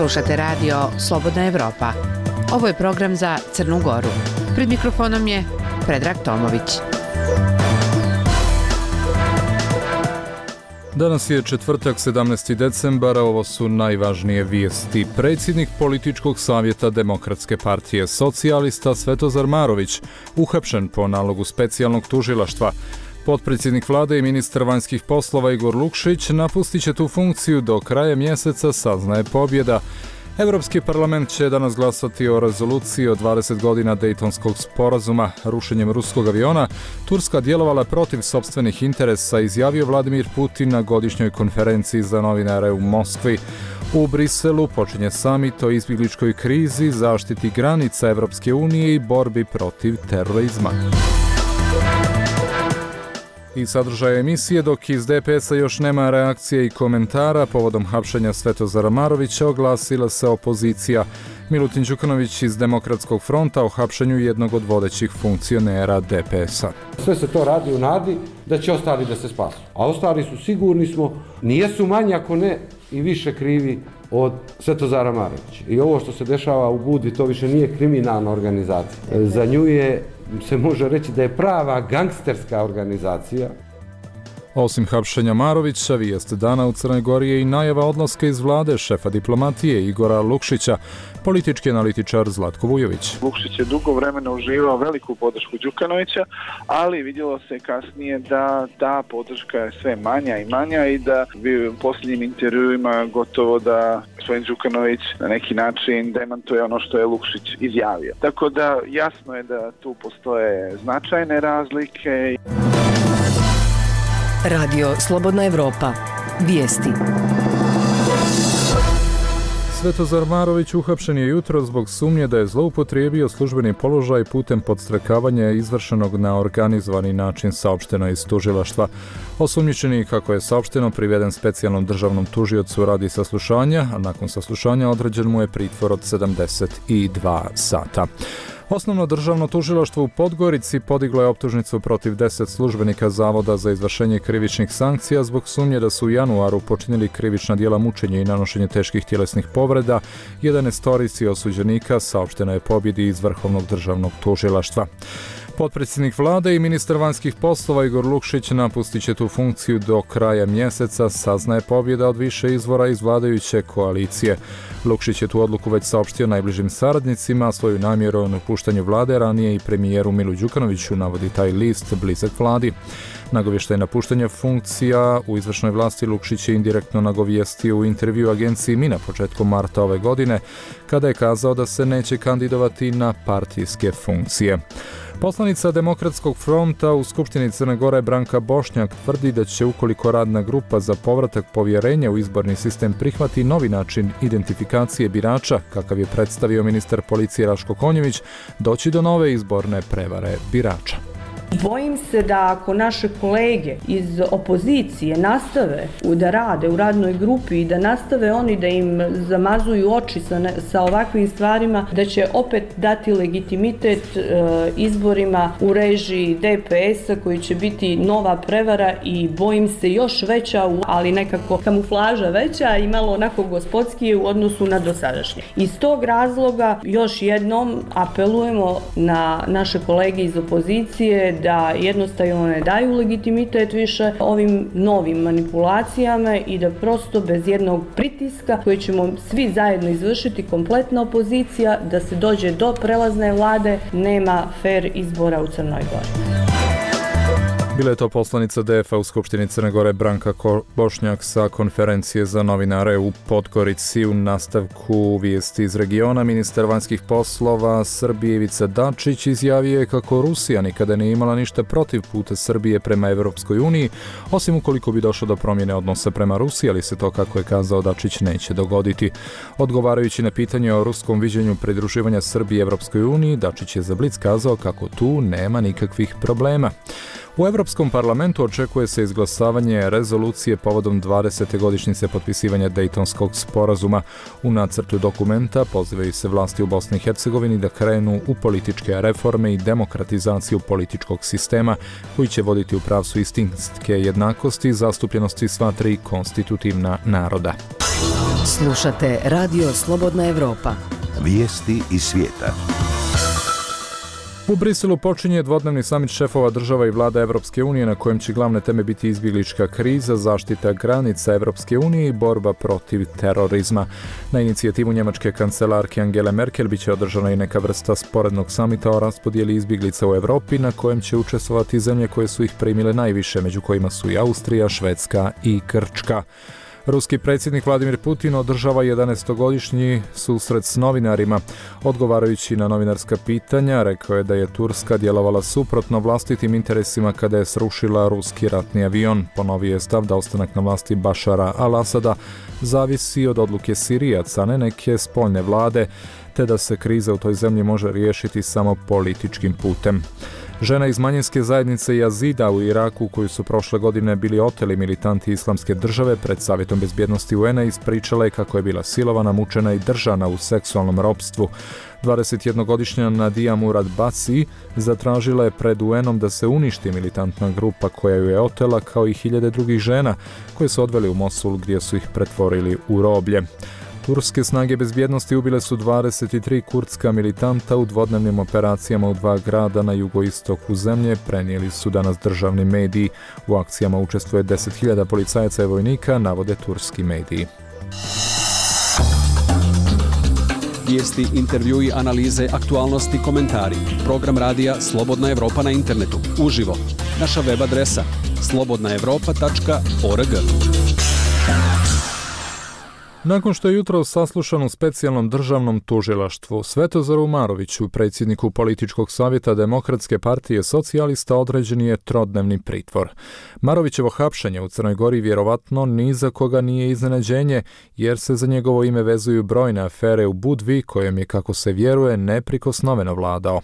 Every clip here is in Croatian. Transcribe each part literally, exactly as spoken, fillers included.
Slušate radio Slobodna Evropa. Ovo je program za Crnu Goru. Pred mikrofonom je Predrag Tomović. Danas je četvrtak, sedamnaesti decembar, ovo su najvažnije vijesti. Predsjednik Političkog savjeta Demokratske partije Socijalista Svetozar Marović uhapšen po nalogu specijalnog tužilaštva. Potpredsjednik vlade i ministar vanjskih poslova Igor Lukšić napustit će tu funkciju do kraja mjeseca, saznaje pobjeda. Europski parlament će danas glasati o rezoluciji o dvadeset godina Dejtonskog sporazuma. Rušenjem ruskog aviona Turska djelovala protiv sopstvenih interesa, izjavio Vladimir Putin na godišnjoj konferenciji za novinare u Moskvi. U Briselu počinje samit o izbjegličkoj krizi, zaštiti granica Europske unije i borbi protiv terorizma. I sadržaje emisije, dok iz D P S-a još nema reakcije i komentara povodom hapšenja Svetozara Marovića, oglasila se opozicija. Milutin Đukanović iz Demokratskog fronta o hapšenju jednog od vodećih funkcionera D P S-a. Sve se to radi u nadi da će ostali da se spasu. A ostali su, sigurni smo, nijesu manji ako ne i više krivi od Svetozara Marovića. I ovo što se dešava u Budvi, to više nije kriminalna organizacija. Za nju je, se može reći da je prava gangsterska organizacija. Osim hapšenja Marovića, vijest dana u Crnoj Gori je i najava odlaska iz vlade šefa diplomatije Igora Lukšića, politički analitičar Zlatko Vujović. Lukšić je dugo vremena uživao veliku podršku Đukanovića, ali vidjelo se kasnije da ta podrška je sve manja i manja i da bi u posljednjim intervjuima gotovo da gospodin Đukanović na neki način demantuje ono što je Lukšić izjavio. Tako da jasno je da tu postoje značajne razlike. Radio Slobodna Evropa. Vijesti. Svetozar Marović uhapšen je jutro zbog sumnje da je zloupotrijebio službeni položaj putem podstrekavanja izvršenog na organizovani način, saopšteno iz tužilaštva. Osumnjičeni, kako je saopšteno, priveden specijalnom državnom tužiocu radi saslušanja, a nakon saslušanja određen mu je pritvor od sedamdeset dva sata. Osnovno državno tužilaštvo u Podgorici podiglo je optužnicu protiv deset službenika Zavoda za izvršenje krivičnih sankcija zbog sumnje da su u januaru počinili krivična djela mučenja i nanošenje teških tjelesnih povreda jedanaestorici osuđenika, saopšteno je pobjedi iz Vrhovnog državnog tužilaštva. Potpredsjednik vlade i ministar vanjskih poslova Igor Lukšić napustit će tu funkciju do kraja mjeseca, saznaje pobjeda od više izvora iz vladajuće koalicije. Lukšić je tu odluku već saopštio najbližim saradnicima, svoju namjeru o napuštanju vlade ranije i premijeru Milu Đukanoviću, navodi taj list blizak vladi. Nagovještaj napuštanja funkcija u izvršnoj vlasti Lukšić je indirektno nagovijestio u intervju agenciji Mina početkom marta ove godine, kada je kazao da se neće kandidovati na partijske funkcije. Poslanica Demokratskog fronta u Skupštini Crne Gore Branka Bošnjak tvrdi da će, ukoliko radna grupa za povratak povjerenja u izborni sistem prihvati novi način identifikacije birača, kakav je predstavio ministar policije Raško Konjević, doći do nove izborne prevare birača. Bojim se da ako naše kolege iz opozicije nastave da rade u radnoj grupi i da nastave oni da im zamazuju oči sa, ne, sa ovakvim stvarima, da će opet dati legitimitet e, izborima u režiji D P S-a koji će biti nova prevara i bojim se još veća, ali nekako kamuflaža veća i malo onako gospodskije u odnosu na dosadašnje. Iz tog razloga još jednom apelujemo na naše kolege iz opozicije da jednostavno ne daju legitimitet više ovim novim manipulacijama i da prosto bez jednog pritiska koji ćemo svi zajedno izvršiti, kompletna opozicija, da se dođe do prelazne vlade, nema fer izbora u Crnoj Gori. Bila je to poslanica D F-a u Skupštini Crne Gore Branka Bošnjak sa konferencije za novinare u Podgorici. U nastavku vijesti iz regiona, ministar vanjskih poslova Srbije Ivica Dačić izjavio je kako Rusija nikada nije imala ništa protiv puta Srbije prema Evropskoj uniji, osim ukoliko bi došlo do promjene odnosa prema Rusiji, ali se to, kako je kazao Dačić, neće dogoditi. Odgovarajući na pitanje o ruskom viđenju pridruživanja Srbije Evropskoj uniji, Dačić je za Blic kazao kako tu nema nikakvih problema. U Europskom parlamentu očekuje se izglasavanje rezolucije povodom dvadesete godišnjice potpisivanja Dejtonskog sporazuma. U nacrtu dokumenta pozivaju se vlasti u Bosni i Hercegovini da krenu u političke reforme i demokratizaciju političkog sistema koji će voditi u pravcu istinske jednakosti i zastupljenosti sva tri konstitutivna naroda. Slušate Radio Slobodna Evropa. Vijesti iz svijeta. U Briselu počinje dvodnevni samit šefova država i vlada Evropske unije na kojem će glavne teme biti izbjeglička kriza, zaštita granica Evropske unije i borba protiv terorizma. Na inicijativu njemačke kancelarke Angele Merkel biće održana i neka vrsta sporednog samita o raspodijeli izbjeglica u Europi na kojem će učestvovati zemlje koje su ih primile najviše, među kojima su i Austrija, Švedska i Grčka. Ruski predsjednik Vladimir Putin održava jedanaestogodišnji susret s novinarima. Odgovarajući na novinarska pitanja, rekao je da je Turska djelovala suprotno vlastitim interesima kada je srušila ruski ratni avion. Ponovio je stav da ostanak na vlasti Bašara al-Asada zavisi od odluke Sirijaca, a ne neke spoljne vlade, te da se kriza u toj zemlji može riješiti samo političkim putem. Žena iz manjinske zajednice Jazida u Iraku, koju su prošle godine bili oteli militanti Islamske države, pred Savjetom bezbjednosti U N-a ispričala je kako je bila silovana, mučena i držana u seksualnom ropstvu. dvadesetjednogodišnja Nadia Murad Basi zatražila je pred U N-om da se uništi militantna grupa koja ju je otela, kao i hiljade drugih žena koje su odveli u Mosul gdje su ih pretvorili u roblje. Turske snage bezbjednosti ubile su dvadeset tri kurdska militanta u dvodnevnim operacijama u dva grada na jugoistoku zemlje, prenijeli su danas državni mediji. U akcijama učestvuje deset hiljada policajaca i vojnika, navode turski mediji. Vijesti, intervjui, analize, aktualnosti, komentari. Program radija Slobodna Evropa na internetu. Uživo. Naša web adresa slobodna evropa tačka org. Nakon što je jutro saslušan u specijalnom državnom tužilaštvu, Svetozaru Maroviću, predsjedniku političkog savjeta Demokratske partije socijalista, određen je trodnevni pritvor. Marovićevo hapšenje u Crnoj Gori vjerovatno ni za koga nije iznenađenje, jer se za njegovo ime vezuju brojne afere u Budvi, kojem je, kako se vjeruje, neprikosnoveno vladao.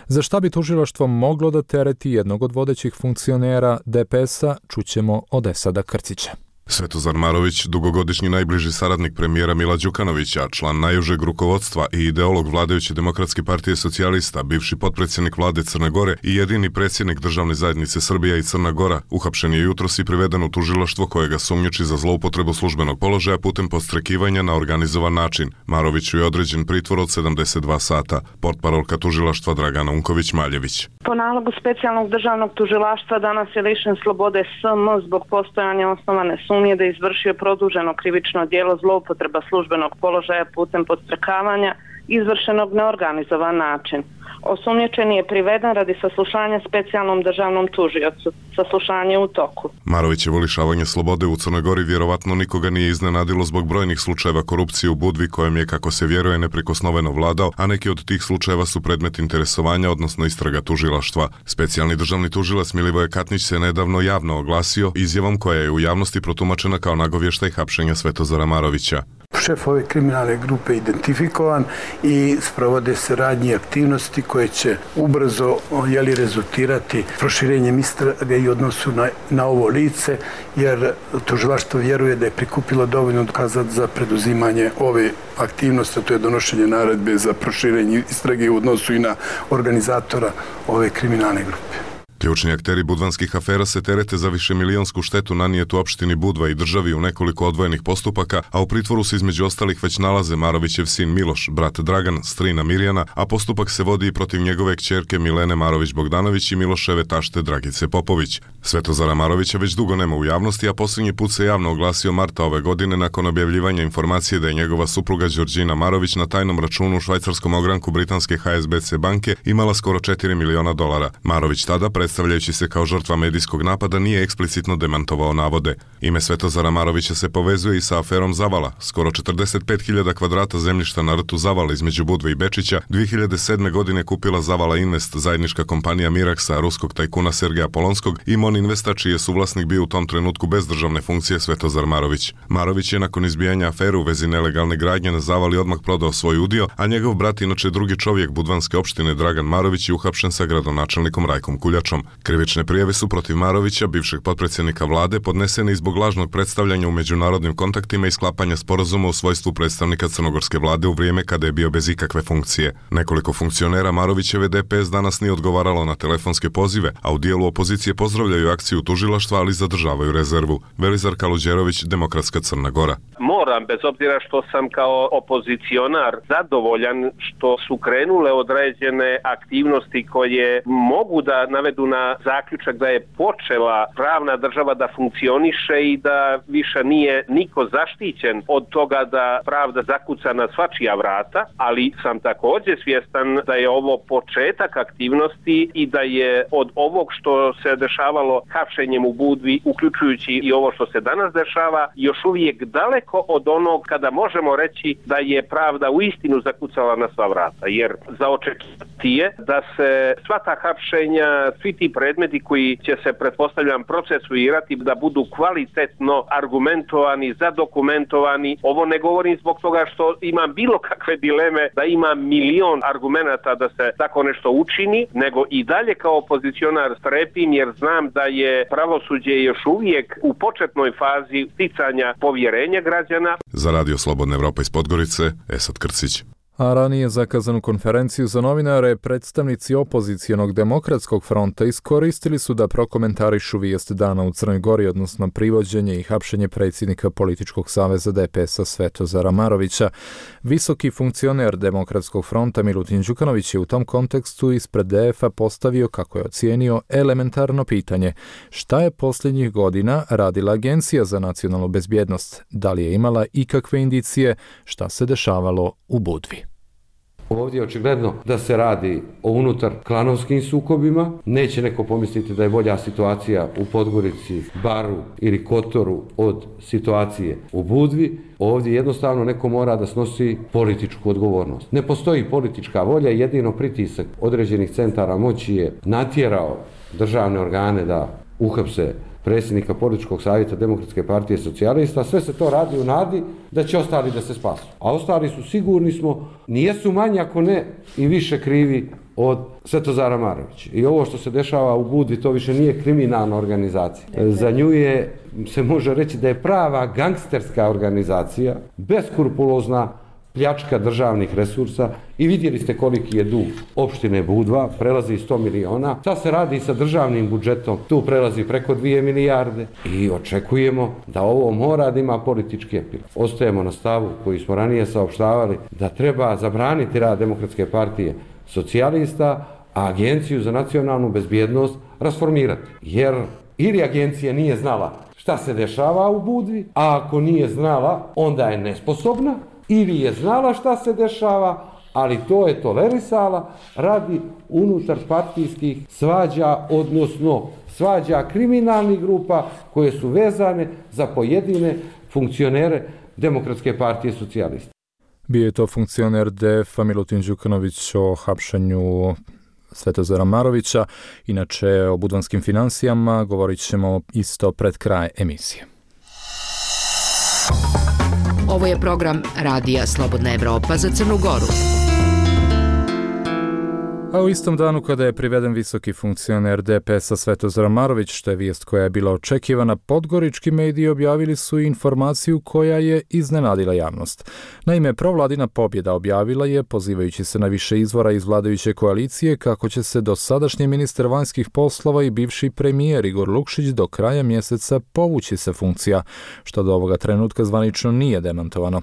Za šta bi tužilaštvo moglo da tereti jednog od vodećih funkcionera D P S-a, čućemo od Esada Krcića. Svetozar Marović, dugogodišnji najbliži saradnik premijera Mila Đukanovića, član najužeg rukovodstva i ideolog vladajuće Demokratske partije socijalista, bivši potpredsjednik vlade Crne Gore i jedini predsjednik državne zajednice Srbija i Crna Gora, uhapšen je jutros i priveden u tužilaštvo koje ga sumnjiči za zloupotrebu službenog položaja putem podstrekivanja na organizovan način. Maroviću je određen pritvor od sedamdeset dva sata. Portparolka tužilaštva Dragana Unković-Maljević. Po nalogu specijalnog državnog tužilaštva danas je lišen slobode S M zbog postojanja osnovane sumnje da je izvršio produženo krivično djelo zloupotreba službenog položaja putem podstrekavanja izvršenog na organizovan način. Osumnjičeni je priveden radi saslušanja specijalnom državnom tužiocu. Saslušanje u toku. Marovićevo lišavanje slobode u Crnoj Gori vjerovatno nikoga nije iznenadilo zbog brojnih slučajeva korupcije u Budvi, kojem je, kako se vjeruje, neprikosnoveno vladao, a neki od tih slučajeva su predmet interesovanja, odnosno istraga tužilaštva. Specijalni državni tužilac Milivoje Katnić se nedavno javno oglasio izjavom koja je u javnosti protumačena kao nagovještaj hapšenja Svetozara Marovića. Šef ove kriminalne grupe identifikovan i sprovode se radnje i aktivnosti koje će ubrzo jeli, rezultirati proširenjem istrage i odnosu na, na ovo lice, jer tužilaštvo vjeruje da je prikupilo dovoljno dokaza za preduzimanje ove aktivnosti, to je donošenje naredbe za proširenje istrage u odnosu i na organizatora ove kriminalne grupe. Ključni akteri budvanskih afera se terete za višemilionsku štetu nanijetu opštini Budva i državi u nekoliko odvojenih postupaka, a u pritvoru se između ostalih već nalaze Marovićev sin Miloš, brat Dragan, strina Mirjana, a postupak se vodi i protiv njegove kćerke Milene Marović-Bogdanović i Miloševe tašte Dragice Popović. Svetozara Marovića već dugo nema u javnosti, a posljednji put se javno oglasio marta ove godine nakon objavljivanja informacije da je njegova supruga Đorđina Marović na tajnom računu u švajcarskom ogranku britanske H S B C banke imala skoro četiri miliona dolara. Marović tada, predstavljajući se kao žrtva medijskog napada, nije eksplicitno demantovao navode. Ime Svetozara Marovića se povezuje i sa aferom Zavala. Skoro četrdeset pet hiljada kvadrata zemljišta na rtu Zavala između Budve i Bečića dvije hiljade sedme. godine kupila Zavala Invest, zajednička kompanija Miraksa, ruskog tajkuna Sergeja Polonskog, i Mon Investa, čiji je suvlasnik bio u tom trenutku bez državne funkcije Svetozar Marović. Marović je nakon izbijanja afere u vezi nelegalne gradnje na Zavali odmah prodao svoj udio, a njegov brat, inače drugi čovjek budvanske opštine Dragan Marović, je uhapšen sa gradonačelnikom Rajkom Kuljačom. Krivične prijave su protiv Marovića, bivšeg potpredsjednika vlade, podnesene i zbog lažnog predstavljanja u međunarodnim kontaktima i sklapanja sporazuma u svojstvu predstavnika crnogorske vlade u vrijeme kada je bio bez ikakve funkcije. Nekoliko funkcionera Marovićeve D P S danas nije odgovaralo na telefonske pozive, a u dijelu opozicije pozdravljaju akciju tužilaštva, ali zadržavaju rezervu. Velizar Kaluđerović, Demokratska Crna Gora. moram, bez obzira što sam kao opozicionar zadovoljan što su krenule određene aktivnosti koje mogu da navedu na zaključak da je počela pravna država da funkcioniše i da više nije niko zaštićen od toga da pravda zakuca na svačija vrata, ali sam također svjestan da je ovo početak aktivnosti i da je od ovog što se dešavalo hapšenjem u Budvi, uključujući i ovo što se danas dešava, još uvijek daleko od onog kada možemo reći da je pravda uistinu zakucala na sva vrata, jer za očekivati je da se sva ta hapšenja, svi ti predmeti koji će se, pretpostavljam, procesuirati, da budu kvalitetno argumentovani, zadokumentovani. Ovo ne govorim zbog toga što imam bilo kakve dileme da ima milion argumenata da se tako nešto učini, nego i dalje kao opozicionar strepim jer znam da je pravosuđe još uvijek u početnoj fazi sticanja povjerenja građana. Za Radio Slobodna Evropa iz Podgorice, Esad Krcić. A ranije zakazanu konferenciju za novinare predstavnici opozicijonog demokratskog fronta iskoristili su da prokomentarišu vijest dana u Crnoj Gori, odnosno privođenje i hapšenje predsjednika političkog saveza D P S-a Svetozara Marovića. Visoki funkcioner demokratskog fronta Milutin Đukanović je u tom kontekstu ispred D F-a postavio, kako je ocijenio, elementarno pitanje: šta je posljednjih godina radila Agencija za nacionalnu bezbjednost? Da li je imala ikakve indicije šta se dešavalo u Budvi? Ovdje je očigledno da se radi o unutar klanovskim sukobima. Neće neko pomisliti da je bolja situacija u Podgorici, Baru ili Kotoru od situacije u Budvi. Ovdje jednostavno neko mora da snosi političku odgovornost. Ne postoji politička volja, jedino pritisak određenih centara moći je natjerao državne organe da uhapse predsjednika političkog savjeta Demokratske partije socijalista. Sve se to radi u nadi da će ostali da se spasu. A ostali su, sigurni smo, nijesu manji ako ne i više krivi od Svetozara Marovića. I ovo što se dešava u Budvi, to više nije kriminalna organizacija. Za nju je, se može reći da je prava gangsterska organizacija, beskrupulozna pljačka državnih resursa i vidjeli ste koliki je dug opštine Budva, prelazi sto miliona. Šta se radi sa državnim budžetom? Tu prelazi preko dvije milijarde i očekujemo da ovo mora da ima politički epilog. Ostajemo na stavu koji smo ranije saopštavali da treba zabraniti rad Demokratske partije socijalista, a Agenciju za nacionalnu bezbjednost rasformirati. Jer ili agencija nije znala šta se dešava u Budvi, a ako nije znala, onda je nesposobna, ili je znala šta se dešava, ali to je tolerisala radi unutar partijskih svađa, odnosno svađa kriminalnih grupa koje su vezane za pojedine funkcionere Demokratske partije socijalista. Bio je to funkcioner D F-a Milutin Đukanović o hapšenju Svetozara Marovića. Inače, o budvanskim finansijama govorit ćemo isto pred kraj emisije. Ovo je program Radija Slobodna Evropa za Crnu Goru. A u istom danu kada je priveden visoki funkcioner D P S-a Svetozar Marović, što je vijest koja je bila očekivana, podgorički mediji objavili su informaciju koja je iznenadila javnost. Naime, provladina pobjeda objavila je, pozivajući se na više izvora iz vladajuće koalicije, kako će se dosadašnji ministar vanjskih poslova i bivši premijer Igor Lukšić do kraja mjeseca povući se funkcija, što do ovoga trenutka zvanično nije demantovano.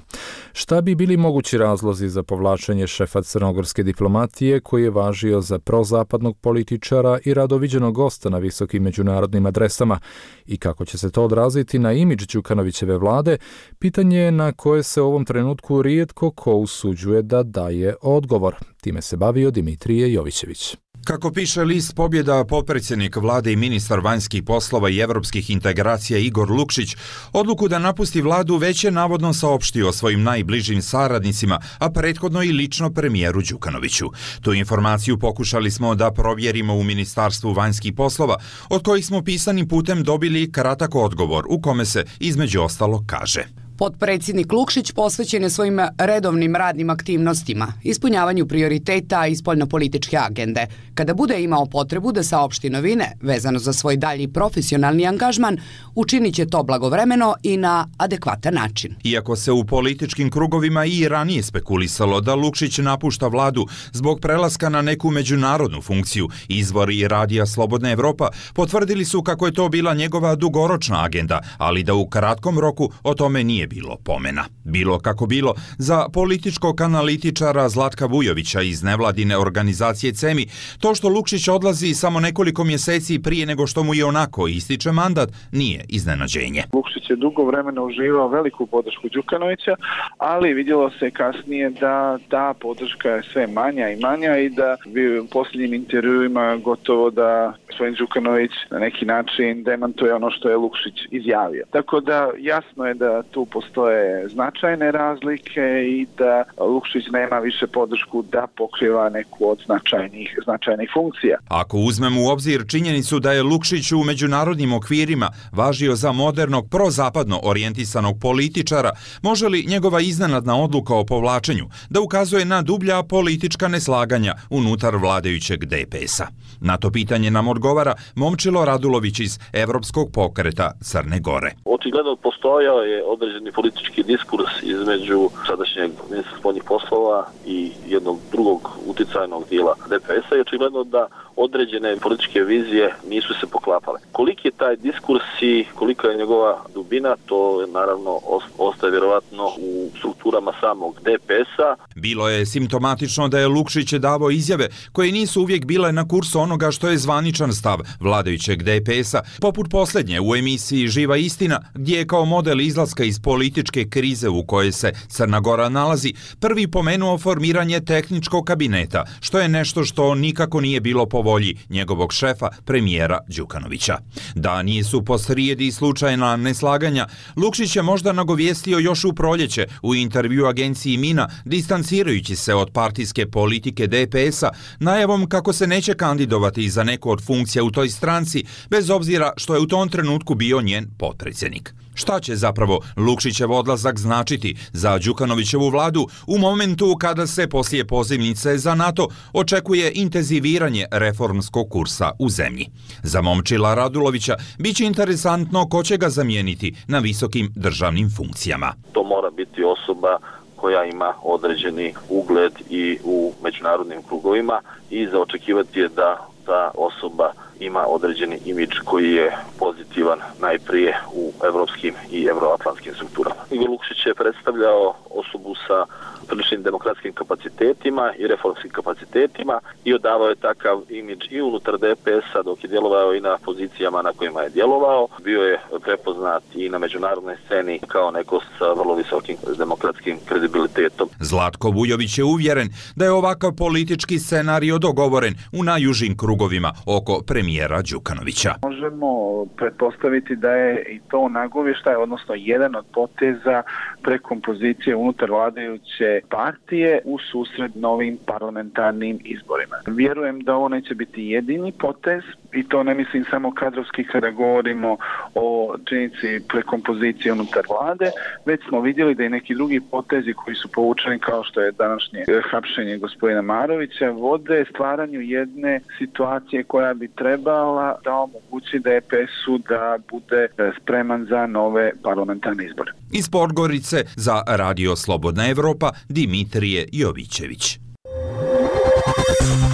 Šta bi bili mogući razlozi za povlačenje šefa crnogorske diplomatije, koji je važio za prozapadnog političara i radoviđenog gosta na visokim međunarodnim adresama, i kako će se to odraziti na imidž Đukanovićeve vlade, pitanje je na koje se u ovom trenutku rijetko ko usuđuje da daje odgovor. Time se bavio Dimitrije Jovićević. Kako piše list Pobjeda, potpredsjednik vlade i ministar vanjskih poslova i evropskih integracija Igor Lukšić odluku da napusti vladu već je navodno saopštio svojim najbližim saradnicima, a prethodno i lično premijeru Đukanoviću. Tu informaciju pokušali smo da provjerimo u Ministarstvu vanjskih poslova, od kojih smo pisanim putem dobili kratak odgovor u kome se između ostalo kaže: Potpredsjednik Lukšić posvećen je svojim redovnim radnim aktivnostima, ispunjavanju prioriteta i spoljnopolitičke agende. Kada bude imao potrebu da saopšti novine vezano za svoj dalji profesionalni angažman, učinit će to blagovremeno i na adekvatan način. Iako se u političkim krugovima i ranije spekulisalo da Lukšić napušta vladu zbog prelaska na neku međunarodnu funkciju, izvori Radija Slobodna Evropa potvrdili su kako je to bila njegova dugoročna agenda, ali da u kratkom roku o tome nije bilo pomena. Bilo kako bilo, za političkog analitičara Zlatka Vujovića iz nevladine organizacije CEMI, to što Lukšić odlazi samo nekoliko mjeseci prije nego što mu je onako ističe mandat nije iznenađenje. Lukšić je dugo vremena uživao veliku podršku Đukanovića, ali vidjelo se kasnije da ta podrška je sve manja i manja i da bi u posljednjim intervjuima gotovo da gospodin Đukanović na neki način demantuje ono što je Lukšić izjavio. Tako da jasno je da tu postoje značajne razlike i da Lukšić nema više podršku da pokriva neku od značajnih, značajnih funkcija. Ako uzmemo u obzir činjenicu da je Lukšić u međunarodnim okvirima važio za modernog prozapadno orijentisanog političara, može li njegova iznenadna odluka o povlačenju da ukazuje na dublja politička neslaganja unutar vladajućeg D P S-a? Na to pitanje nam odgovara Momčilo Radulović iz Evropskog pokreta Crne Gore. Očigledno postojao je određeni politički diskurs između sadašnjeg ministra spoljnih poslova i jednog drugog uticajnog dijela D P S-a i očigledno da određene političke vizije nisu se poklapale. Koliki je taj diskurs i kolika je njegova dubina, to je naravno ostaje vjerovatno u strukturama samog D P S-a. Bilo je simptomatično da je Lukšić davao izjave koje nisu uvijek bile na kursu onoga što je zvaničan stav vladajućeg D P S-a, poput posljednje u emisiji Živa istina, gdje je kao model izlaska iz političke krize u kojoj se Crna Gora nalazi, prvi pomenuo formiranje tehničkog kabineta, što je nešto što nikako nije bilo po volji njegovog šefa, premijera Đukanovića. Da nisu posrijedi slučajna neslaganja, Lukšić je možda nagovijestio još u proljeće u intervju agenciji Mina, distancirajući se od partijske politike D P S-a, najavom kako se neće kandidovati za neku od funkcija u toj stranci, bez obzira što je u tom trenutku bio njen potpredsjednik. Šta će zapravo Lukšićev odlazak značiti za Đukanovićevu vladu u momentu kada se poslije pozivnice za NATO očekuje intenziviranje reformskog kursa u zemlji? Za Momčila Radulovića biće interesantno ko će ga zamijeniti na visokim državnim funkcijama. To mora biti osoba koja ima određeni ugled i u međunarodnim krugovima i za očekivati je da ta osoba ima određeni imidž koji je pozitivan najprije u evropskim i evroatlantskim strukturama. Igor Lukšić je predstavljao osobu sa priličnim demokratskim kapacitetima i reformskim kapacitetima i odavao je takav imidž i unutar D P S-a dok je djelovao i na pozicijama na kojima je djelovao. Bio je prepoznat i na međunarodnoj sceni kao neko sa vrlo visokim demokratskim kredibilitetom. Zlatko Vujović je uvjeren da je ovakav politički scenario dogovoren u najužim krugovima oko premijera Đukanovića. Možemo pretpostaviti da je i to nagovještaj, odnosno jedan od poteza prekompozicije unutar vladajuće partije u susret novim parlamentarnim izborima. Vjerujem da ovo neće biti jedini potez i to ne mislim samo kadrovski kada govorimo o činjenici prekompozicije unutar vlade, već smo vidjeli da i neki drugi potezi koji su povučeni kao što je današnje hapšenje gospodina Marovića vode stvaranju jedne situacije koja bi trebala da omogući D P S-u da bude spreman za nove parlamentarne izbore. Iz Podgorice za Radio Slobodna Evropa Dimitrije Jovićević.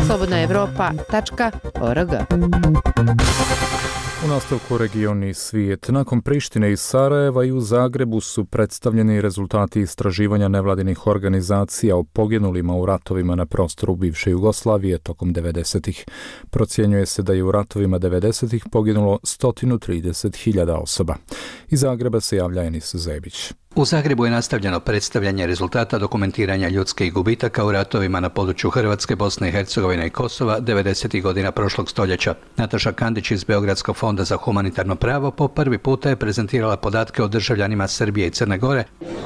slobodna evropa tačka org. U nastavku regioni svijet. Nakon Prištine i Sarajeva i u Zagrebu su predstavljeni rezultati istraživanja nevladinih organizacija o poginulima u ratovima na prostoru bivše Jugoslavije tokom devedesetih. Procjenjuje se da je u ratovima devedesetih poginulo sto trideset hiljada osoba. Iz Zagreba se javlja Enis Zebić. U Zagrebu je nastavljeno predstavljanje rezultata dokumentiranja ljudskih gubitaka u ratovima na području Hrvatske, Bosne i Hercegovine i Kosova devedesetih godina prošlog stoljeća. Nataša Kandić iz Beogradskog fonda za humanitarno pravo po prvi puta je prezentirala podatke o državljanima Srbije i Crne Gore.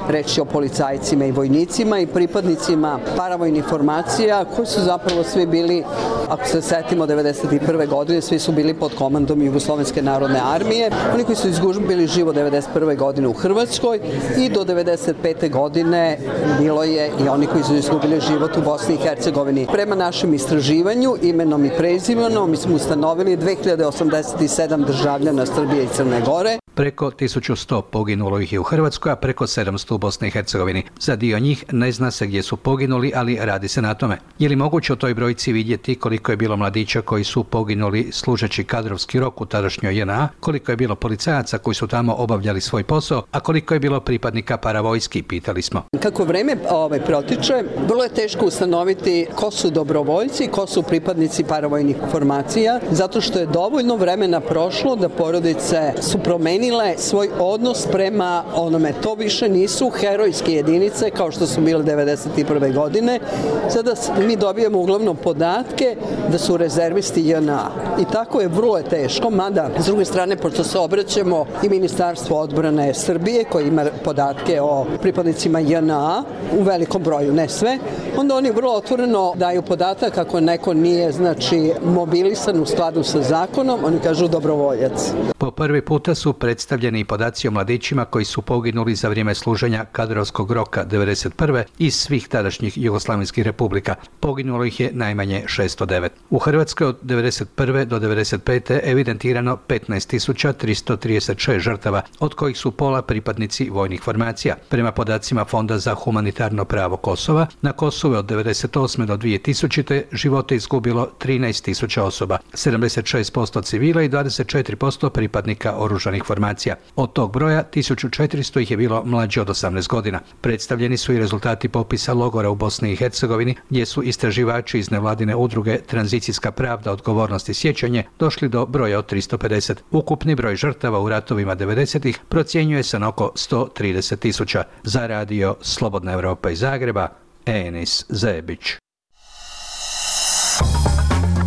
Reč je o policajcima i vojnicima i pripadnicima paravojnih formacija koji su zapravo svi bili, ako se setimo devedeset prve godine, svi su bili pod komandom Jugoslovenske narodne armije. Oni koji su izgubili život devedeset prve godine u Hrvatskoj, i do devedeset pete godine bilo je i oni koji su izgubili život u Bosni i Hercegovini. Prema našem istraživanju, imenom i prezimenom, mi smo ustanovili dve hiljade osamdeset sedam državljana Srbije i Crne Gore. Preko tisuću sto poginulo ih je u Hrvatskoj, a preko sedamsto u Bosni i Hercegovini. Za dio njih ne zna se gdje su poginuli, ali radi se na tome. Je li moguće u toj brojci vidjeti koliko je bilo mladića koji su poginuli služeći kadrovski rok u tadašnjoj J N A, koliko je bilo policajaca koji su tamo obavljali svoj posao, a koliko je bilo pripadnika paravojski, pitali smo. Kako vreme ovaj, protiče, vrlo je teško ustanoviti ko su dobrovoljci, ko su pripadnici paravojnih formacija, zato što je dovoljno vremena prošlo da porodice su promenile svoj odnos prema onome. To više nisu herojske jedinice kao što su bile devedeset prve godine. Sada mi dobijemo uglavnom podatke da su rezervisti J N A. I tako je vrlo je teško, mada s druge strane, pošto se obraćamo i Ministarstvo odbrane Srbije koji ima podatke o pripadnicima J N A u velikom broju, ne sve, onda oni vrlo otvoreno daju podatak ako neko nije znači mobilisan u skladu sa zakonom, oni kažu dobrovoljac. Po prvi puta su predstavljeni i podaci o mladićima koji su poginuli za vrijeme služenja kadrovskog roka devedeset prve iz svih tadašnjih jugoslavenskih republika. Poginulo ih je najmanje šesto devet. U Hrvatskoj od devedeset prve do devedeset pete evidentirano petnaest tisuća tristo trideset šest žrtava, od kojih su pola pripadnici vojnih formacija. Prema podacima Fonda za humanitarno pravo Kosova, na Kosovu od devedeset osme do dvije tisućite živote izgubilo trinaest tisuća osoba, sedamdeset šest posto civila i dvadeset četiri posto pripadnika oružanih formacija. Od tog broja tisuću četiristo ih je bilo mlađe od osamnaest godina. Predstavljeni su i rezultati popisa logora u Bosni i Hercegovini, gdje su istraživači iz nevladine udruge Tranzicijska pravda, odgovornost i sjećanje došli do broja od tristo pedeset. Ukupni broj žrtava u ratovima devedesetih procjenjuje se na oko sto trideset tisuća. Za radio Slobodna Evropa iz Zagreba, Enis Zebić.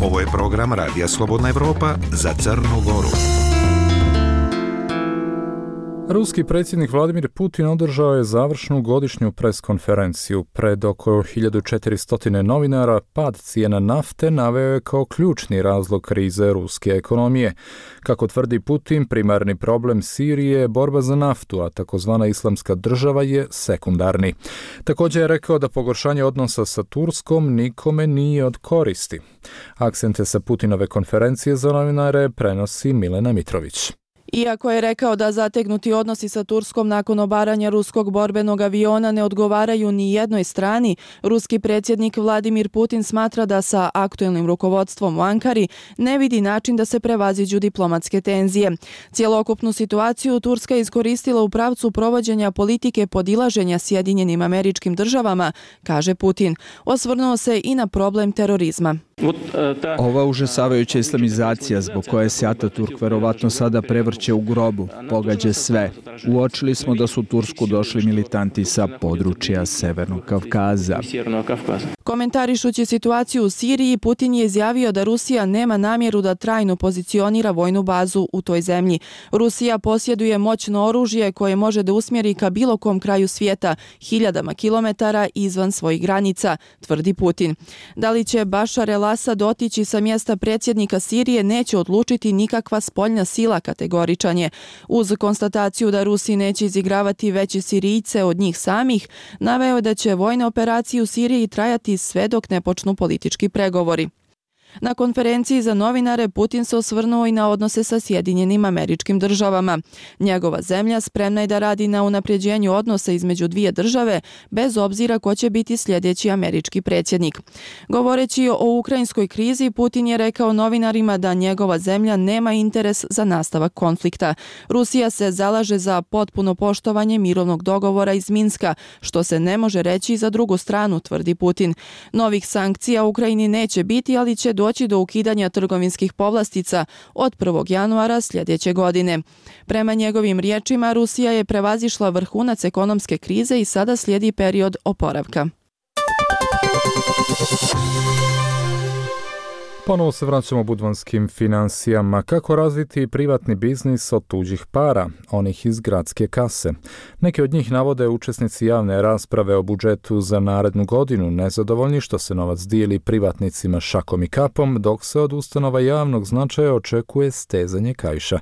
Ovo je program Radija Slobodna Evropa za Crnu Goru. Ruski predsjednik Vladimir Putin održao je završnu godišnju preskonferenciju. Pred oko hiljadu četiristo novinara pad cijena nafte naveo je kao ključni razlog krize ruske ekonomije. Kako tvrdi Putin, primarni problem Sirije je borba za naftu, a takozvana islamska država je sekundarni. Također je rekao da pogoršanje odnosa sa Turskom nikome nije od koristi. Akcente sa Putinove konferencije za novinare prenosi Milena Mitrović. Iako je rekao da zategnuti odnosi sa Turskom nakon obaranja ruskog borbenog aviona ne odgovaraju ni jednoj strani, ruski predsjednik Vladimir Putin smatra da sa aktuelnim rukovodstvom u Ankari ne vidi način da se prevaziđu diplomatske tenzije. Cijelokupnu situaciju Turska je iskoristila u pravcu provođenja politike podilaženja Sjedinjenim Američkim Državama, kaže Putin. Osvrnuo se i na problem terorizma. Ova užasavajuća islamizacija zbog koje se Ataturk verovatno sada prevrće u grobu, pogađa sve. Uočili smo da su u Tursku došli militanti sa područja Severnog Kavkaza. Komentarišući situaciju u Siriji, Putin je izjavio da Rusija nema namjeru da trajno pozicionira vojnu bazu u toj zemlji. Rusija posjeduje moćno oružje koje može da usmjeri ka bilo kom kraju svijeta, hiljadama kilometara izvan svojih granica, tvrdi Putin. Da li će Bašar el-Asad otići sa mjesta predsjednika Sirije neće odlučiti nikakva spoljna sila, kategoričan je. Uz konstataciju da Rusi neće izigravati veće Sirijce od njih samih, naveo je da će vojne operacije u Siriji trajati sve dok ne počnu politički pregovori. Na konferenciji za novinare Putin se osvrnuo i na odnose sa Sjedinjenim Američkim Državama. Njegova zemlja spremna je da radi na unapređenju odnosa između dvije države, bez obzira ko će biti sljedeći američki predsjednik. Govoreći o ukrajinskoj krizi, Putin je rekao novinarima da njegova zemlja nema interes za nastavak konflikta. Rusija se zalaže za potpuno poštovanje mirovnog dogovora iz Minska, što se ne može reći za drugu stranu, tvrdi Putin. Novih sankcija Ukrajini neće biti, ali će doći do ukidanja trgovinskih povlastica od prvog januara sljedeće godine. Prema njegovim riječima, Rusija je prevazišla vrhunac ekonomske krize i sada slijedi period oporavka. Ponovo se vraćamo budvanskim financijama. Kako razviti privatni biznis od tuđih para, onih iz gradske kase? Neki od njih navode učesnici javne rasprave o budžetu za narednu godinu, nezadovoljni što se novac dijeli privatnicima šakom i kapom, dok se od ustanova javnog značaja očekuje stezanje kaiša.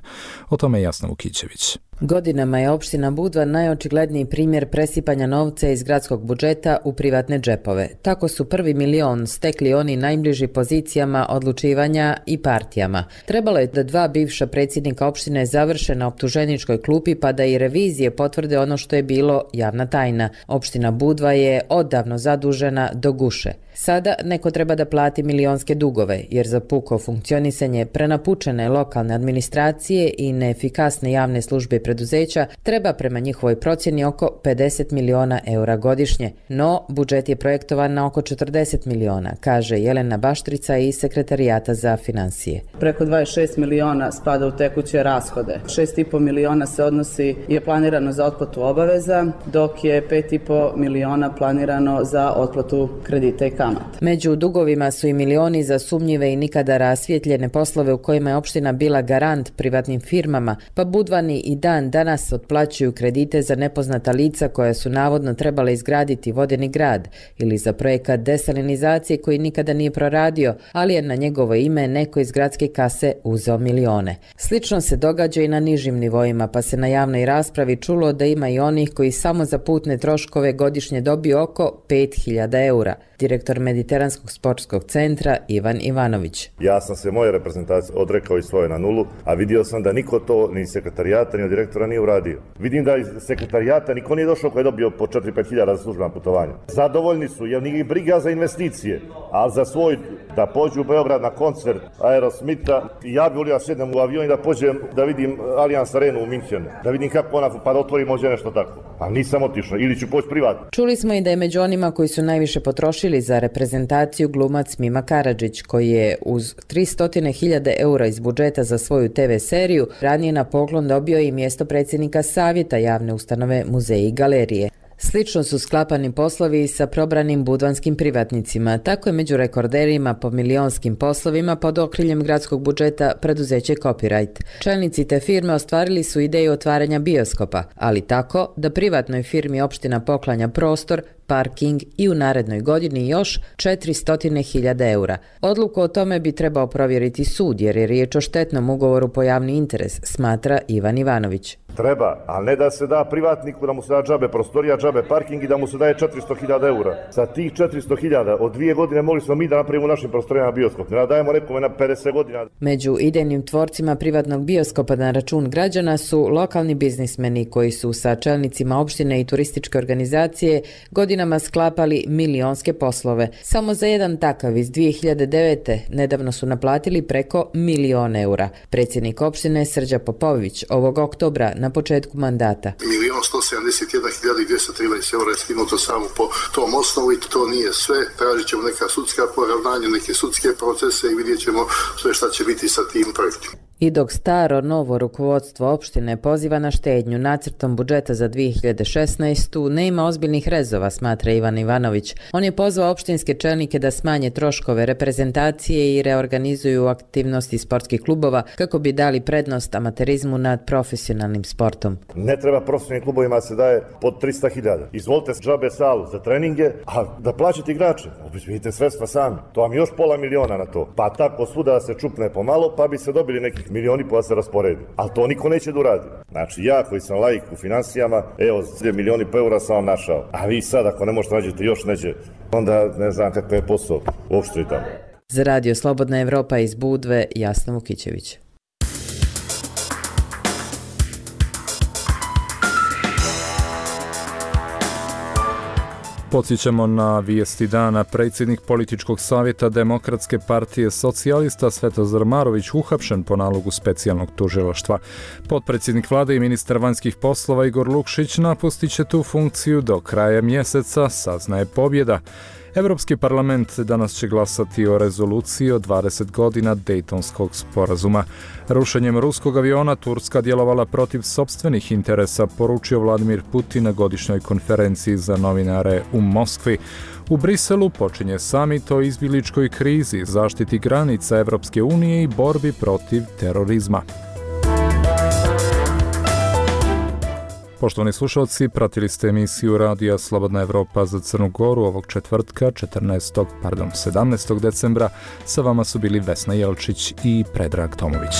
O tome je Jasna Vukićević. Godinama je opština Budva najočigledniji primjer presipanja novca iz gradskog budžeta u privatne džepove. Tako su prvi milion stekli oni najbliži pozicijama odlučivanja i partijama. Trebalo je da dva bivša predsjednika opštine završe na optuženičkoj klupi pa da i revizije potvrde ono što je bilo javna tajna. Opština Budva je odavno zadužena do guše. Sada neko treba da plati milionske dugove, jer za puko funkcionisanje prenapučene lokalne administracije i neefikasne javne službe i preduzeća treba prema njihovoj procjeni oko pedeset miliona eura godišnje. No, budžet je projektovan na oko četrdeset miliona, kaže Jelena Baštrica iz Sekretarijata za financije. Preko dvadeset šest miliona spada u tekuće rashode. šest i po miliona se odnosi je planirano za otplatu obaveza, dok je pet i po miliona planirano za otplatu kredita i kamata. Među dugovima su i milioni za sumnjive i nikada rasvjetljene poslove u kojima je opština bila garant privatnim firmama, pa Budvani i dan danas otplaćuju kredite za nepoznata lica koja su navodno trebala izgraditi vodeni grad ili za projekat desalinizacije koji nikada nije proradio, ali je na njegovo ime neko iz gradske kase uzeo milione. Slično se događa i na nižim nivoima, pa se na javnoj raspravi čulo da ima i onih koji samo za putne troškove godišnje dobiju oko pet hiljada eura. Direktor Mediteranskog sportskog centra Ivan Ivanović. Ja sam se moje reprezentacije odrekao i svoje na nulu, a vidio sam da niko to ni sekretarijata ni od direktora nije uradio. Vidim da iz sekretarijata niko nije došao koji je dobio po četiri do pet hiljada za službena putovanja. Zadovoljni su, jer nije briga za investicije, ali za svoj da pođu u Beograd na koncert Aerosmitha i ja bih volio da sjednem u avion i da pođem da vidim Allianz Arenu u Minhenu, da vidim kako ona pa da otvorim možda nešto tako. A nisam otišao, ili ću poći privatno. Čuli smo i da je među onima koji su najviše potrošili za reprezentaciju glumac Mima Karadžić, koji je uz tristo hiljada eura iz budžeta za svoju te ve seriju ranije na poklon dobio i mjesto predsjednika savjeta javne ustanove Muzeji i galerije. Slično su sklapani poslovi sa probranim budvanskim privatnicima. Tako je među rekorderima po milionskim poslovima pod okriljem gradskog budžeta preduzeće Copyright. Čelnici te firme ostvarili su ideju otvaranja bioskopa, ali tako da privatnoj firmi opština poklanja prostor, parking i u narednoj godini još četiristo hiljada eura. Odluku o tome bi trebao provjeriti sud, jer je riječ o štetnom ugovoru po javni interes, smatra Ivan Ivanović. Treba, ali ne da se da privatniku da mu se da džabe prostorija, džabe parking i da mu se daje četiristo hiljada eura. Sa tih četiristo hiljada od dvije godine mogli smo mi da napravimo u našim prostorijama bioskop. Ne da dajemo nekome na pedeset godina. Među idejnim tvorcima privatnog bioskopa na račun građana su lokalni biznismeni koji su sa čelnicima opštine i turističke organizacije godinama sklapali milionske poslove. Samo za jedan takav iz dvije hiljade devete. nedavno su naplatili preko milion eura. Predsjednik opštine Srđa Popović ovog oktobra na početku mandata. Milion sto sedamdeset jedna hiljada dvjesto trinaest eura je skinuto samo po tom osnovu i to nije sve. Tražit ćemo neka sudska poravnanja, neke sudske procese i vidjet ćemo sve šta će biti sa tim projektima. I dok staro novo rukovodstvo opštine poziva na štednju nacrtom budžeta za dvije hiljade šesnaestu. nema ozbiljnih rezova, smatra Ivan Ivanović. On je pozvao opštinske čelnike da smanje troškove reprezentacije i reorganizuju aktivnosti sportskih klubova kako bi dali prednost amaterizmu nad profesionalnim sportom. Ne treba profesionalnim klubovima se daje pod tristo hiljada. Izvolite džabe salu za treninge, a da plaćate igrače. Obezbedite sredstva sami. To vam još pola miliona na to. Pa tako svuda da se čupne pomalo, pa bi se dobili nekih milioni pa se rasporedi. Ali to niko neće da uradi. Znači ja koji sam laik u finansijama, evo dvije milioni pa eura sam vam našao. A vi sad ako ne možete nađete još neće, onda ne znam kakav je posao uopšte tamo. Za Radio Slobodna Evropa iz Budve, Jasna Vukićević. Podsjećamo na vijesti dana. Predsjednik političkog savjeta Demokratske partije socijalista Svetozar Marović uhapšen po nalogu specijalnog tužilaštva. Potpredsjednik vlade i ministar vanjskih poslova Igor Lukšić napustit će tu funkciju do kraja mjeseca, saznaje Pobjeda. Evropski parlament danas će glasati o rezoluciji o dvadeset godina Dejtonskog sporazuma. Rušenjem ruskog aviona Turska djelovala protiv sopstvenih interesa, poručio Vladimir Putin na godišnjoj konferenciji za novinare u Moskvi. U Briselu počinje samit o izbjegličkoj krizi, zaštiti granica Evropske unije i borbi protiv terorizma. Poštovani slušalci, pratili ste emisiju Radija Slobodna Evropa za Crnu Goru ovog četvrtka, četrnaestog, pardon, sedamnaestog decembra. Sa vama su bili Vesna Jelčić i Predrag Tomović.